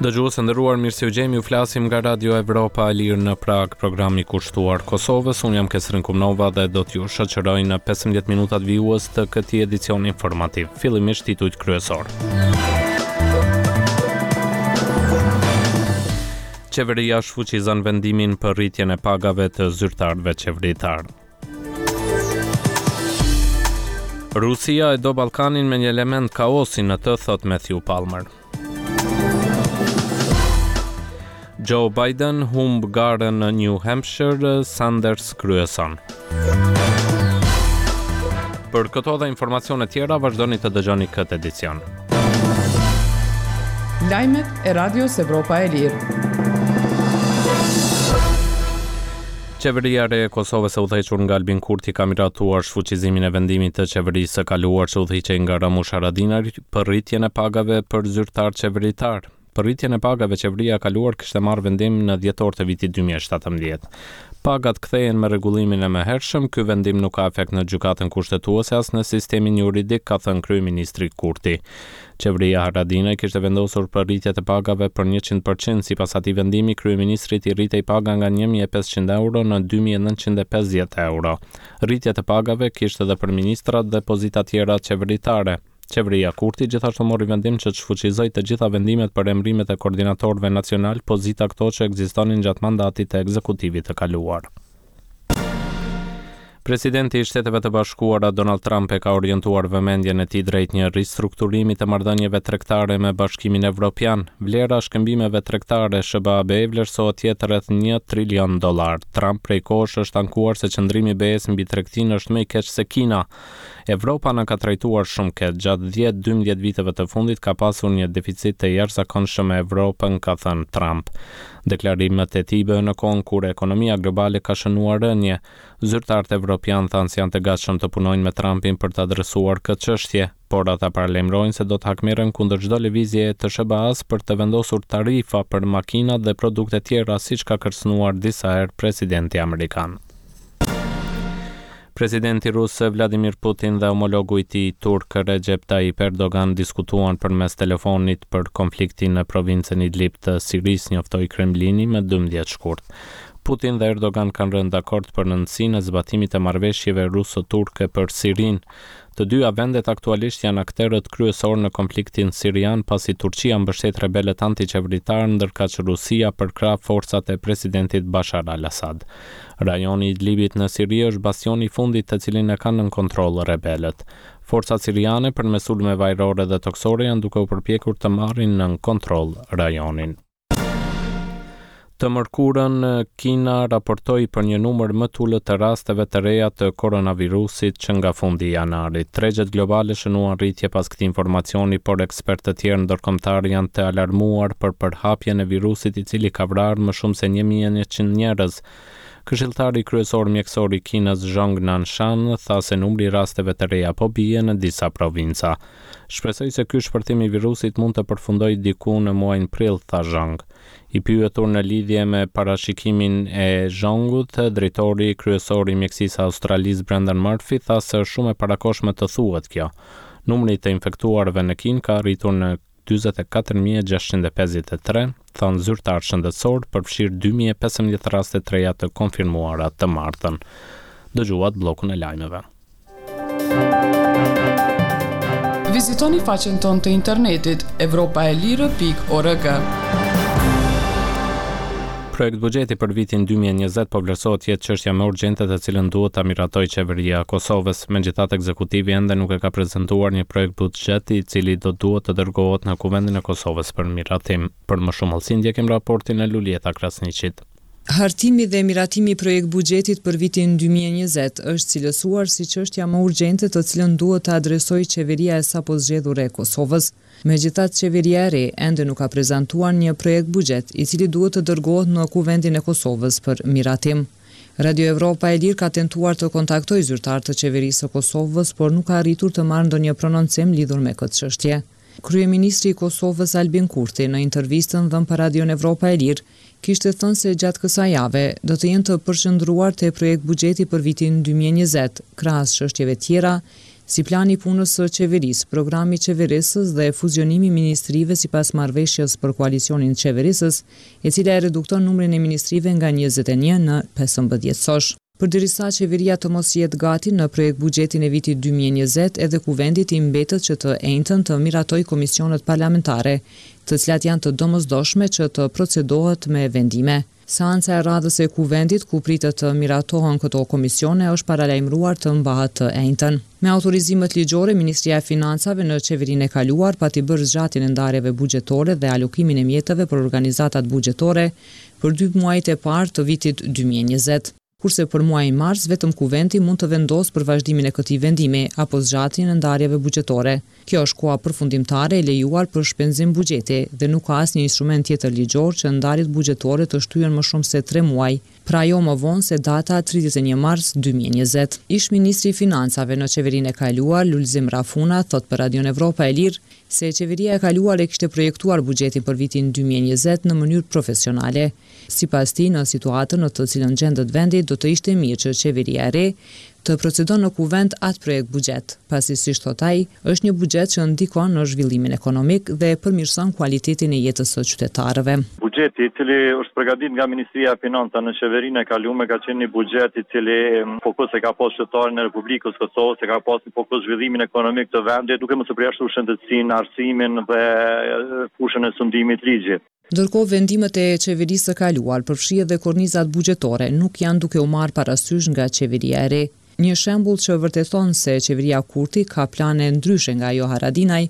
Dëgjues të nderuar, mirë se ju gjejmë, ju flasim nga Radio Evropa e Lirë në Pragë, programi kushtuar Kosovës. Unë jam Kesrin Kumnova dhe do t'ju shoqëroj në 15 minutat vijues të këtij edicioni informativ. Fillimisht titujt kryesorë. Qeveria shfuqizon vendimin për rritjen e pagave të zyrtarëve qeveritarë. Rusia e do Ballkanin me një element kaosi në të, thotë Matthew Palmer. Joe Biden humb garën në New Hampshire, Sanders kryeson. Për këto dhe informacione tjera vazhdoni të dëgjoni këtë edicion. Lajmet e Radios Evropa e Lirë. Qeveria e re e Kosovës e udhëhequr nga Albin Kurti ka miratuar shfuqizimin e vendimit të qeverisë së kaluar që udhëhiqej nga Ramush Haradinaj për rritjen e pagave për zyrtarë qeveritarë. Për rritjen e pagave qeveria e kaluar kishte marrë vendim në dhjetor të vitit 2017. Pagat kthehen me rregullimin e mëhershëm, ky vendim nuk ka efekt në Gjykatën Kushtetuese as në sistemin juridik, ka thënë kryeministri Kurti. Qeveria Haradinaj kishte vendosur për rritje të pagave për 100%, sipas atij vendimi kryeministrit i rritej paga nga 1500 euro në 2950 euro. Rritje të pagave kishte edhe për ministrat dhe pozita tjera qeveritare. Qeveria Kurti gjithashtu mori vendim që të shfuqizojë të gjitha vendimet për emërimet e koordinatorëve nacionalë, pozita këto që ekzistonin gjatë mandatit të ekzekutivit të kaluar. Presidenti i Shteteve të Bashkuara Donald Trump e ka orientuar vëmendjen e tij drejt një ristrukturimi të marrëdhënieve tregtare me Bashkimin Evropian. Vlera e shkëmbimeve tregtare SHBA-BE vlerësohet të jetë rreth 1 trilion dollar. Trump prej kohësh është ankuar se qëndrimi i BE-së mbi tregtinë është më i keq se Kina. Evropa na ka trajtuar shumë keq. Gjatë dhjetë, 12 viteve të fundit ka pasur një deficit të jashtëzakonshëm me Evropën, ka thënë Trump. Deklarimet e tij bëhen në kohën kur ekonomia globale ka shënuar rënie. Zyrtarët evropianë thanë se janë të gatshëm të punojnë me Trumpin për të adresuar këtë çështje, por ata paralajmërojnë se do të hakmerren kundër çdo lëvizjeje të SHBA-së për të vendosur tarifa për makinat dhe produkte tjera, siç ka kërcënuar disa herë presidenti amerikan. Presidenti rus Vladimir Putin dhe homologu i tij turk Recep Tayyip Erdogan diskutuan përmes telefonit për konfliktin në provincën Idlib të Sirisë, njoftoi Kremlini më 12 shkurt. Putin dhe Erdogan kanë rënë dakord për rëndësinë e zbatimit të marrëveshjeve ruso-turke për Sirinë. Të dyja vendet aktualisht janë akterët kryesorë në konfliktin sirian, pasi Turqia mbështet rebelët antiqeveritarë, ndërkaq Rusia përkrah forcat e presidentit Bashar al-Assad. Rajoni i Idlibit në Siri është bastioni i fundit të cilin e kanë nën kontroll rebelët. Forcat siriane përmes sulmeve ajrore dhe tokësore janë duke u përpjekur të marrin nën kontroll rajonin. Të mërkurën, Kina raportoi për një numër më të ulët të rasteve të reja të koronavirusit që nga fundi i janarit. Tregjet globale shënuan rritje pas këtij informacioni, por ekspertë të tjerë ndërkombëtarë janë të alarmuar për përhapjen e virusit i cili ka vrarë më shumë se 1100 njerëz. Këshilltari kryesor mjekësor i Kinës, Zhong Nanshan, tha se numri i rasteve të reja po bie në disa provinca. Shpresoj se ky shpërthim i virusit mund të përfundojë diku në muajin prill, tha Zhong. I pyetur në lidhje me parashikimin e Zhongut, drejtori kryesor i mjekësisë së Australisë Brendan Murphy tha se është shumë e parakohshme të thuhet kjo. Numri i të infektuarve në Kinë ka arritur në 44.653, thanë zyrtarë shëndetësorë, përfshirë 2015 raste të reja të konfirmuara të martën. Dëgjuat bllokun e lajmeve. Vizitoni faqen tonë të internetit evropaelire.org. Projektbuxheti për vitin 2020 po vlerësohet të jetë çështja më urgjente të cilën duhet ta miratojë qeveria e Kosovës. Megjithatë, ekzekutivi ende nuk e ka prezantuar një projektbuxhet i cili do duhet të dërgohet në Kuvendin e Kosovës për miratim. Për më shumë hollësi ndjekim raportin e Luljeta Krasniqit. Hartimi dhe miratimi i projektbuxhetit për vitin 2020 është cilësuar si çështja më urgjente të cilën duhet të adresojë qeveria e sapozgjedhur e Kosovës. Megjithatë, qeveria e re ende nuk ka prezantuar një projektbuxhet i cili duhet të dërgohet në Kuvendin e Kosovës për miratim. Radio Evropa e Lirë ka tentuar të kontaktojë zyrtarë të Qeverisë së Kosovës, por nuk ka arritur të marrë ndonjë prononcim lidhur me këtë çështje. Kryeministri i Kosovës Albin Kurti në intervistën dhënë për Radion Evropa e Lirë kishte thënë se gjatë kësaj jave do të jenë të përqendruar te projektbuxheti për vitin 2020, krahas çështjeve tjera, Si plani i punës së qeverisë, programi qeverisës dhe fuzionimi i ministrive sipas marrëveshjes për koalicionin qeverisës, e cila e redukton numrin e ministrive nga 21 në 15 sosh. Përderisa qeveria të mos jetë gati në projektbuxhetin e vitit 2020, edhe Kuvendit i mbetet që të enjten të miratojë komisionet parlamentare, të cilat janë të domosdoshme që të procedohet me vendime. Seanca e radhës e Kuvendit, ku pritet të miratohen këto komisione, është paralajmëruar të mbahet të enjten. Me autorizimet ligjore, Ministria e Financave në qeverinë e kaluar pati bërë zgjatjen e ndarjeve buxhetore dhe alokimin e mjeteve për organizatat buxhetore për dy muajt e parë të vitit 2020. Kurse për muajin mars vetëm Kuvendi mund të vendosë për vazhdimin e këtij vendimi apo zgjatjen e ndarjeve buxhetore. Kjo është koha përfundimtare e lejuar për shpenzim buxheti dhe nuk ka asnjë instrument tjetër ligjor që ndarjet buxhetore të shtyhen më shumë se tre muaj, pra jo më vonë se data 31 mars 2020. Ish-ministri i Financave në qeverinë e kaluar, Lulzim Rafuna, thotë për Radion Evropa e Lirë se qeveria e kaluar e kishte projektuar buxhetin për vitin 2020 në mënyrë profesionale. Sipas tij, në situatën në të cilën gjendet vendi, do të ishte mirë që qeveria e re të procedon në Kuvend atë projektbuxhet, pasi siç thotë ai, është një buxhet që ndikon në zhvillimin ekonomik dhe përmirëson kualitetin e jetës së qytetarëve. Buxheti, i cili është përgatitur nga Ministria e Financave në qeverinë e kalume, ka qenë një buxhet i cili fokus e ka pas qytetarin e Republikës së Kosovës, e ka pas në fokus zhvillimin ekonomik të vendit, duke mos e përjashtuar shëndetësinë, arsimin dhe fushën e sundimit të ligjit. Ndërkohë, vendimet e qeverisë së kaluar, përfshi edhe kornizat buxhetore, nuk janë duke u marrë parasysh nga qeveria e re. Një shembull që vërteton se qeveria Kurti ka plane ndryshe nga ajo Haradinaj,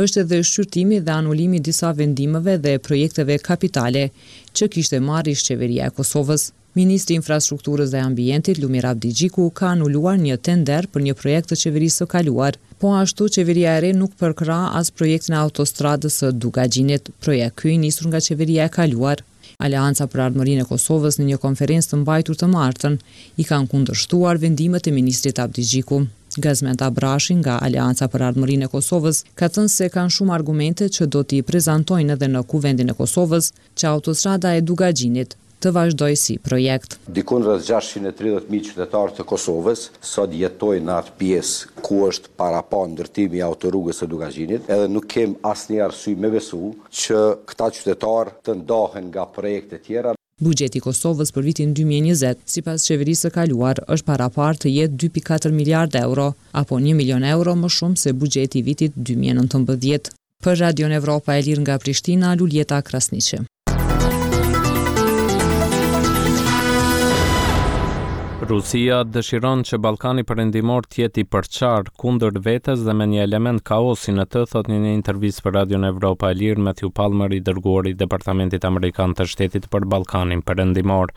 është edhe shqyrtimi dhe anulimi i disa vendimeve dhe projekteve kapitale që kishte marrë ish-qeveria e Kosovës. Ministri i Infrastrukturës dhe Ambientit, Lumir Abdixhiku, ka anuluar një tender për një projekt të qeverisë së kaluar. Po ashtu, qeveria e re nuk përkrah as projektin e autostradës së Dukagjinit, projekt ky i nisur nga qeveria e kaluar. Aleanca për Ardhmërinë e Kosovës në një konferencë të mbajtur të martën, i kanë kundërshtuar vendimet e ministrit Abdixhiku. Gazmend Abrashi nga Aleanca për Ardhmërinë e Kosovës ka thënë se kanë shumë argumente që do t'i prezantojnë edhe në Kuvendin e Kosovës që autostrada e Dukagjinit të vazhdojë si projekt. Dikund rreth 630.000 qytetarë të Kosovës sot jetojnë në atë pjesë ku është parapa ndërtimi i autorrugës së Dukagjinit, edhe nuk kem asnjë arsye me besu që këta qytetarë të ndahen nga projekte tjera. Buxheti i Kosovës për vitin 2020, sipas qeverisë së kaluar, është paraparë të jetë 2.4 miliardë euro, apo 1 milion euro më shumë se buxheti i vitit 2019. Për Radion Evropa e Lirë nga Prishtina, Luljeta Krasniqi. Rusia dëshiron që Ballkani Perëndimor të jetë i përçarë kundër vetes dhe me një element kaosi në të, thotë në një intervistë për Radion Evropa e Lirë Matthew Palmer, i dërguar i Departamentit Amerikan të Shtetit për Ballkanin Perëndimor.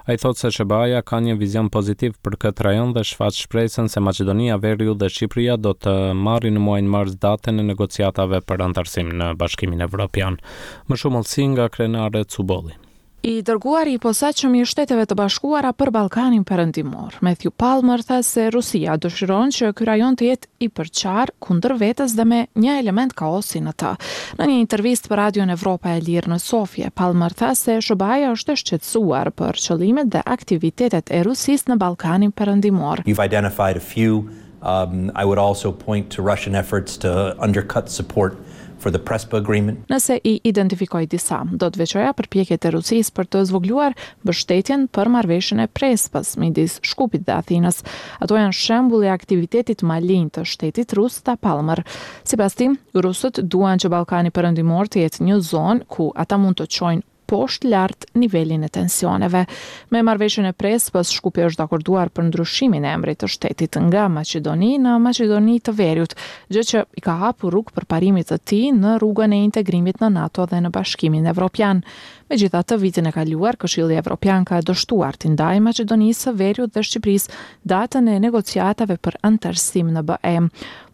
Ai thotë se SHBA-ja ka një vizion pozitiv për këtë rajon dhe shfaq shpresën se Maqedonia e Veriut dhe Shqipëria do të marrin në muajin mars datën e negociatave për anëtarësim në Bashkimin Evropian. Më shumë hollësi nga Krenare Cubolli. I dërguari i posaçëm i Shteteve të Bashkuara për Ballkanin Perëndimor, Matthew Palmer tha se Rusia dëshiron që ky rajon të jetë i përçarë kundër vetes dhe me një element kaosi në të. Në një intervistë për Radion Evropa e Lirë në Sofje, Palmer tha se SHBA-ja është e shqetësuar për qëllimet dhe aktivitetet e Rusisë në Ballkanin Perëndimor. You've identified a few. Um, I would also point to Russian efforts to undercut support for the Prespa agreement. Nëse i identifikoj disa, do të veçoja përpjekjet e Rusisë për të zvogëluar mbështetjen për marrëveshjen e Prespës midis Shkupit dhe Athinës. Ato janë shembull i aktivitetit malinj të shtetit rus, tha Palmer. Sipas tij, rusët duan që Ballkani Perëndimor të jetë një zonë ku ata mund të çojnë poshtë lart nivelin e tensioneve. Me marrëveshjen e Prespës, Shkupi është dakorduar për ndryshimin e emrit të shtetit nga Maqedoni në Maqedoni të Veriut, gjë që i ka hapur rrugë përparimit të tij në rrugën e integrimit në NATO dhe në Bashkimin Evropian. Megjithatë, vitin e kaluar, Këshilli Evropian ka dështuar t'i ndajë Maqedonisë së Veriut dhe Shqipërisë datën e negociatave për anëtarësim në BE.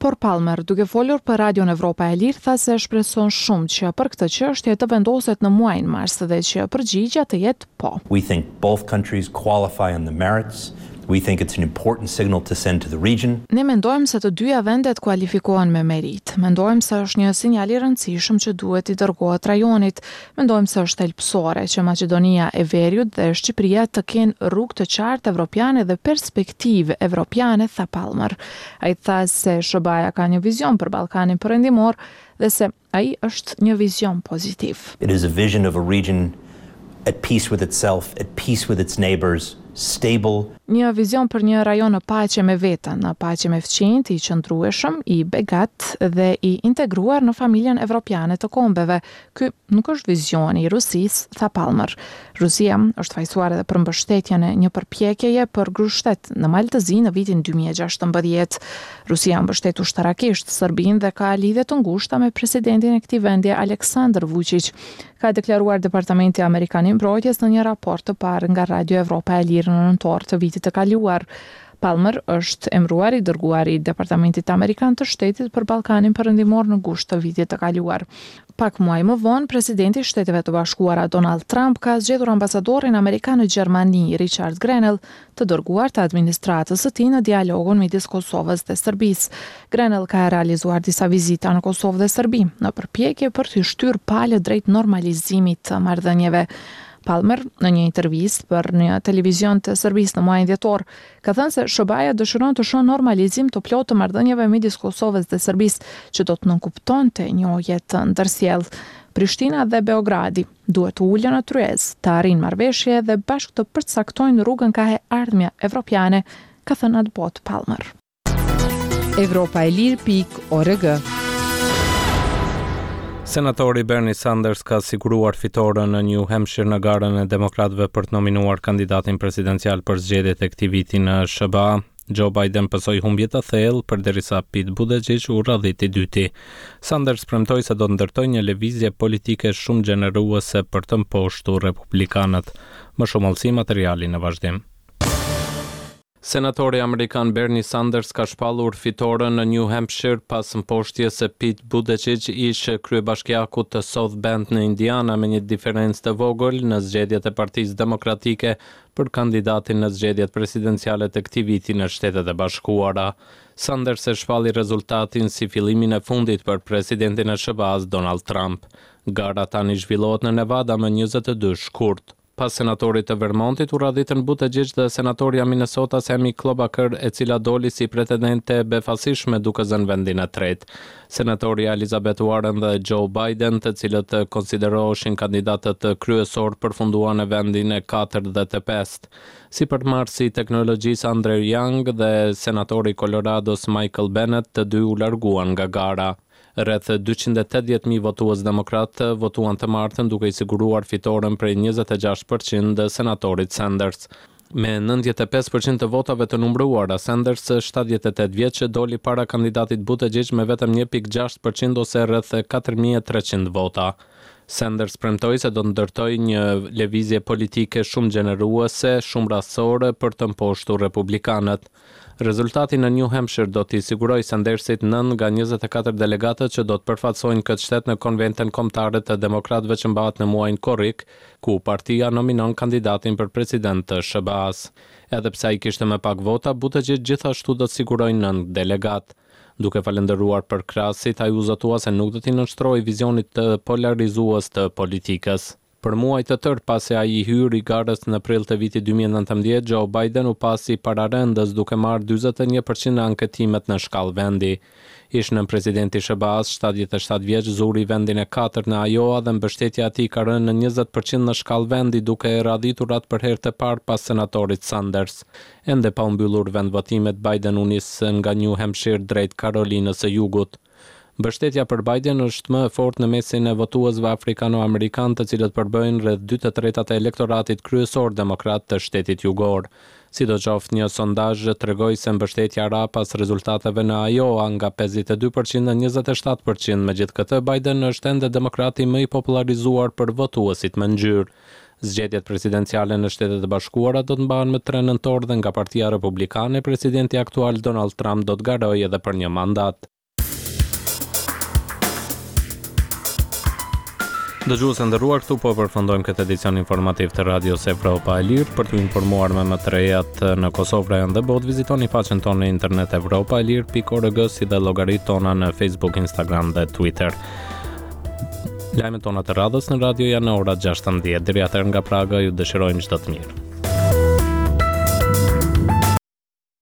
Por Palmer, duke folur për Radion Evropa e Lirë, tha se shpreson shumë që për këtë çështje të vendoset në muajin mars dhe që përgjigja të jetë po. We think both countries qualify on the merits. We think it's an important signal to send to the region. Ne mendojmë se të dyja vendet kualifikohen me meritë. Mendojmë se është një sinjal i rëndësishëm që duhet t'i dërgohet rajonit. Mendojmë se është thelbësore që Maqedonia e Veriut dhe Shqipëria të kenë rrugë të qartë evropiane dhe perspektivë evropiane, tha Palmer. Ai tha se SHBA-ja ka një vizion për Ballkanin Perëndimor dhe se Ai është një vizion pozitiv. It is a vision of a region at peace with itself, at peace with its neighbors, stable. Një vizion për një rajon në paqe me veten, në paqe me fqinjtë, i qëndrueshëm, i begatë dhe i integruar në familjen evropiane të kombeve. Ky nuk është vizioni i Rusisë, tha Palmer. Rusia është fajësuar edhe për mbështetjen e një përpjekjeje për grushtshtet në Mal të Zi në vitin 2016. Rusia mbështet ushtarakisht Serbinë dhe ka lidhje të ngushta me presidentin e këtij vendi Aleksandar Vuçiq, ka deklaruar Departamenti Amerikan i Mbrojtjes në një raport të parë nga Radio Evropa e Lirë në nëntor të vitit të kaluar. Palmer është emëruar i dërguari i Departamentit Amerikan të Shtetit për Ballkanin Perëndimor në gusht të vitit të kaluar. Pak muaj më vonë, presidenti i Shteteve të Bashkuara Donald Trump ka zgjedhur ambasadorin amerikan në Gjermani, Richard Grenell, të dërguar të administratës së tij në dialogun midis Kosovës dhe Serbisë. Grenell ka realizuar disa vizita në Kosovë dhe Serbi, në përpjekje për t'i shtyrë palët drejt normalizimit të marrëdhënieve. Palmer, në një intervistë për një televizion të Serbisë në muajin dhjetor, ka thënë se SHBA-ja dëshiron të shohë normalizim të plotë të marrëdhënieve midis Kosovës dhe Serbisë, që do të nënkuptonte njohje të ndërsjellë. Prishtina dhe Beogradi duhet të ulen në tryezë, të arrijnë marrëveshje dhe bashkë të përcaktojnë rrugën kah e ardhmja evropiane, ka thënë atëbotë Palmer. Evropa e Lirë pikë org. Senatori Bernie Sanders ka siguruar fitoren në New Hampshire në garën e demokratëve për të nominuar kandidatin presidencial për zgjedhjet e këtij viti në SHBA. Joe Biden pësoi humbje të thellë, përderisa Pete Buttigieg u radhit i dyti. Sanders premtoi se do të ndërtojë një lëvizje politike shumëgjeneruese për të mposhtur republikanët. Më shumë hollësi materiali në vazhdim. Senatori amerikan Bernie Sanders ka shpallur fitoren në New Hampshire pas mposhtjes së Pete Buttigieg, ish-kryebashkiakut të South Bend në Indiana me një diferencë të vogël në zgjedhjet e Partisë Demokratike për kandidatin në zgjedhjet presidenciale të këtij viti në Shtetet e Bashkuara. Sanders e shpalli rezultatin si fillimin e fundit për presidentin e SHBA-së Donald Trump. Gara tani zhvillohet në Nevada më 22 shkurt. Pas senatorit të Vermontit u radhitën Buttigieg dhe senatorja e Minnesotas Amy Klobuchar, e cila doli si pretendente e befasishme duke zënë vendin e tretë. Senatorja Elizabeth Warren dhe Joe Biden, të cilët konsideroheshin kandidatët kryesorë, përfunduan në vendin e katërt dhe të pestë. Sipërmarrësi i teknologjisë Andrew Yang dhe senatori i Kolorados Michael Bennet të dy u larguan nga gara. Rreth 280.000 votues demokratë votuan të martën duke i siguruar fitoren prej 26 për qind senatorit Sanders. Me 95 për qind të votave të numëruara, Sanders, 78 vjeç, doli para kandidatit Buttigieg me vetëm 1.6 për qind ose rreth 4300 vota. Sanders premtoi se do të ndërtojë një lëvizje politike shumëgjeneruese, shumërasore për të mposhtur republikanët. Rezultati në New Hampshire do t'i sigurojë Sandersit nëntë nga 24 delegatët që do të përfaqësojnë këtë shtet në Konventën Kombëtare të Demokratëve që mbahet në muajin korrik, ku partia nominon kandidatin për president të SHBA-së. Edhe pse ai kishte më pak vota, Buttigieg gjithashtu do të sigurojë nëntë delegatë. Duke falënderuar përkrahësit, ai u zotua se nuk do t'i nënshtrohej vizionit polarizues të politikës. Për muaj të tërë pasi ai i hyri garës në prill të vitit 2019, Joe Biden u pa si pararendës duke marrë 41 për qind në anketimet në shkallë vendi. Ish nënpresidenti i SHBA-së, 77 vjeç, zuri vendin e katërt në Iowa dhe mbështetja e tij ka rënë në 20 për qind në shkallë vendi duke e radhitur atë për herë të parë pas senatorit Sanders. Ende pa u mbyllur vendvotimet, Biden u nis nga New Hampshire drejt Karolinës së Jugut. Mbështetja për Biden është më e fortë në mesin e votuesve afrikano-amerikanë, të cilët përbëjnë rreth dy të tretat e elektoratit kryesor demokrat të shtetit jugor. Sidoqoftë, një sondazh tregoi se mbështetja ra pas rezultateve në Iowa nga 52 për qind në 27 për qind, megjithëkëtë Biden është ende demokrati më i popullarizuar për votuesit me ngjyrë. Zgjedhjet presidenciale në Shtetet e Bashkuara do të mbahen më 3 nëntor dhe nga Partia Republikane, presidenti aktual Donald Trump do të garojë edhe për një mandat. Dëgjues të nderuar, këtu po përfundojmë këtë edicion informativ të Radios Evropa e Lirë. Për t'u informuar me më të rejat në Kosovë, rajon dhe botë, vizitoni faqen tonë në internet evropaelire.org si dhe llogaritë tona në Facebook, Instagram dhe Twitter. Lajmet tona të radhës në radio janë në ora 16. Deri atëherë nga Praga ju dëshirojmë çdo të mirë.